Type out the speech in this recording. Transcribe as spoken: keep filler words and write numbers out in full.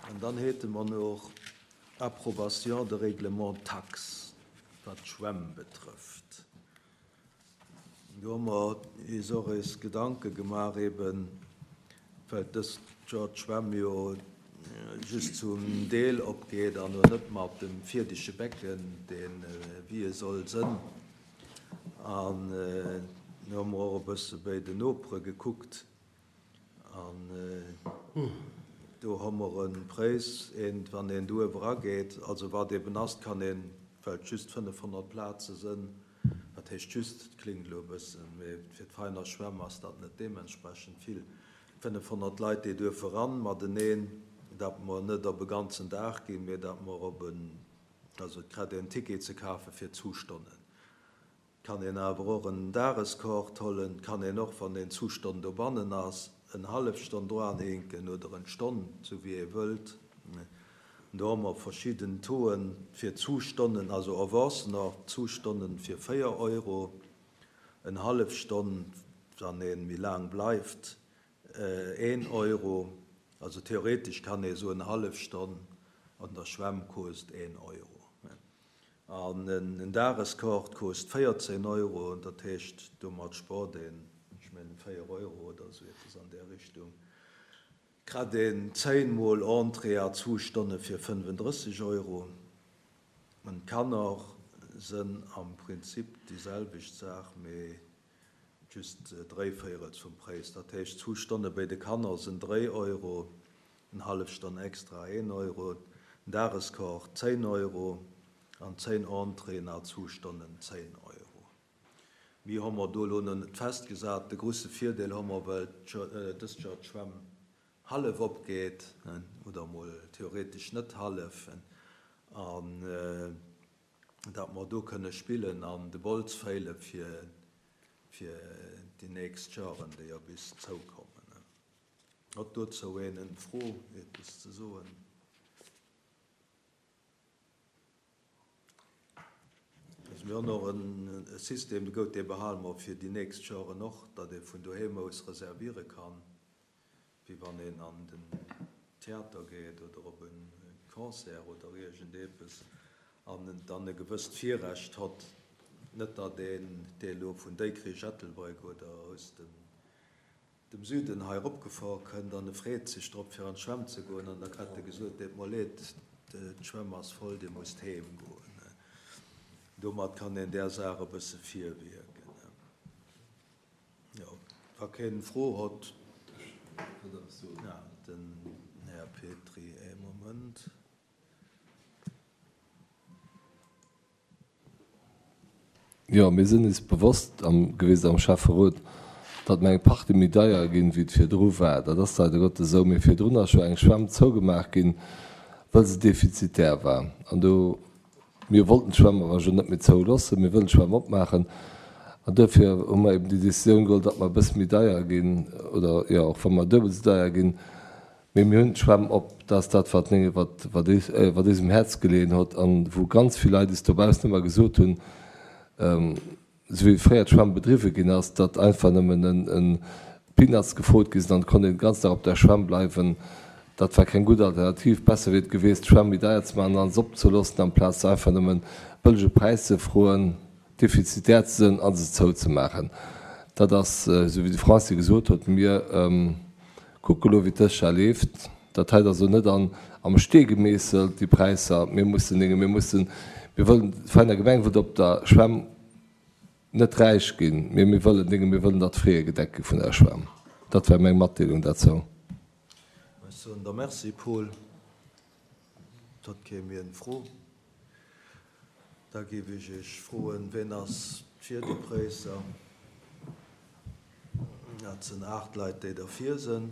An dann hätte mer nach Approbation de règlement taxe, wat d'Schwämm betrëfft. Do hu mer eis och eis Gedanke gemaach, eben well dëst Joer d'Schwämm jo just zum Deel opgeet an no net mat dem vierdege Becken, deen wéi e soll sënn. An do hu mer och e bësse bei den Nopere gekuckt an do hu mer en Präis, een, wann een do erageet, also wat eben ass, kann een, well et just fënnefhonnert Plaze sënn, dat heescht just, klingt elo e bëssen, mee fir d'Veiner Schwämm ass dat net deementsprechend vill, fënnefhonnert Leit, déi duerfe ran mateneen, dat mer net op e ganzen Dag ginn, mee dat mer op en, also et kritt een Ticket ze kafe fir Zustonnen. Kann een awer och en Dageskort hollen, kann een och, wann een Zustonn dobannen ass, en hallef Stonn dranhinken oder en Stonn, sou wéi ee wëllt. Do hu mer verschidden Tauxen fir Zustonnen, also Erwuessener Zustonnen fir véier Euro, en hallef Stonn, wann een méi laang bleift, een Euro. Also theoretisch kann ee sou en hallef Stonn an der Schwämm kost een Euro. An en Dageskort kost véierzehn Euro, dat heescht, domat sport een, ech mengen véier Euro oder sou eppes an där Richtung. Kritt een zéin Mol Entrée a Zustonne fir fënnfendrësseg Euro. An d'Kanner sënn am Prinzip déi selwecht Saach, mee just dréi Véierels vum Präis. Dat heescht, Zustonne bei de Kanner sinn dréi Euro, en hallef Stonn extra een Euro, en Dageskort zéin Euro an zéin Entréeën a Zustonnen zéin Euro. Mir hu mer do elo nach net festgesat. De grouse Virdeel hu mer, well dëst Joer d'Schwämm hallef opgeet, oder mol theoretisch net hallef, an dat mer do kënne spillen an de Bols féile fir, fir déi nächst Joren, déi ja bis zoukommen. Hat dozou een eng Fro, eppes ze soen? Also mir hunn och en System, de gout dee behale mer fir déi nächst Joren och, datt ee vun doheem aus reserviere kann, wéi wann een an den Theater geet oder op en Concert oder iergendepes, an dann e gewësst Virrecht hat, net datt een dee elo vun Dikrech, Ettelbréck oder aus dem, dem Süden hei eropgefuer kënnt an e freet sech drop fir an d'Schwämm ze goen an da kritt e gesot, deet mer leed, d'Schwämm ass voll, Dir musst heem goen. Domat kann een där Saach e bësse virwierken. Jo, wa keen Fro hot, ja, den Här Petry, ee Moment. Jo, mir sinn eis bewosst am, gewiescht am Schäfferot, datt mer eng Partie méi deier ginn, wéi et virdru war. Dat ass leider Gottes esou. Mee virdrun ass scho eng Schwämm zougemaach ginn, well se defizitär war. An do, mir wollten d'Schwämm awer jo net méi zouloossen, mir wëllen d'Schwämm opmaachen. An dofir hu mer eben déi Décisioun geholl, datt mer e bësse méi deier ginn, oder jo, och wa mer duebel esou deier ginn, mee mir hunn d'Schwämm op. Dat ass dat, wat, wat, wat eis, wat eis um Häerz geleeën huet an wou ganz vill Leit eis dobaussen ëmmer gesot hunn, esou wéi fréier d'Schwämm bedriwwe ginn ass, datt einfach nëmmen en, en Peanuts gefrot gi sinn an et konnt een den ganzen Dag op der Schwämm bleiwen. Dat war keng gutt Alternativ. Besser wier et gewiescht, d'Schwämm méi deier ze maachen an se opzeloossen, amplaz se einfach nëmmen bëllege Präis ze froen, defizitär ze sinn a se zouzemaachen. Dat ass, esou wéi de Francis gesot huet, mir kucke lo, wéi dës Joer leeft. Dat hei ass elo net an, am Stee gemeesselt, déi Präisser. Mir mussen Dinge, mir mussen, mir wëllen, d'Veiner Gemeng wëllt op der Schwämm net räich ginn, mee mir wëllen Dinge, mir wëllen, datt d'Fraie gedeckt gi vun der Schwämm. Dat war meng Matdeelung dozou. Ech soen der Merci, Paul. Et huet kee méi eng Fro. Da géif ech Iech froen, wien ass fir déi Präisser? Dat sinn aacht Leit, déi derfir sinn.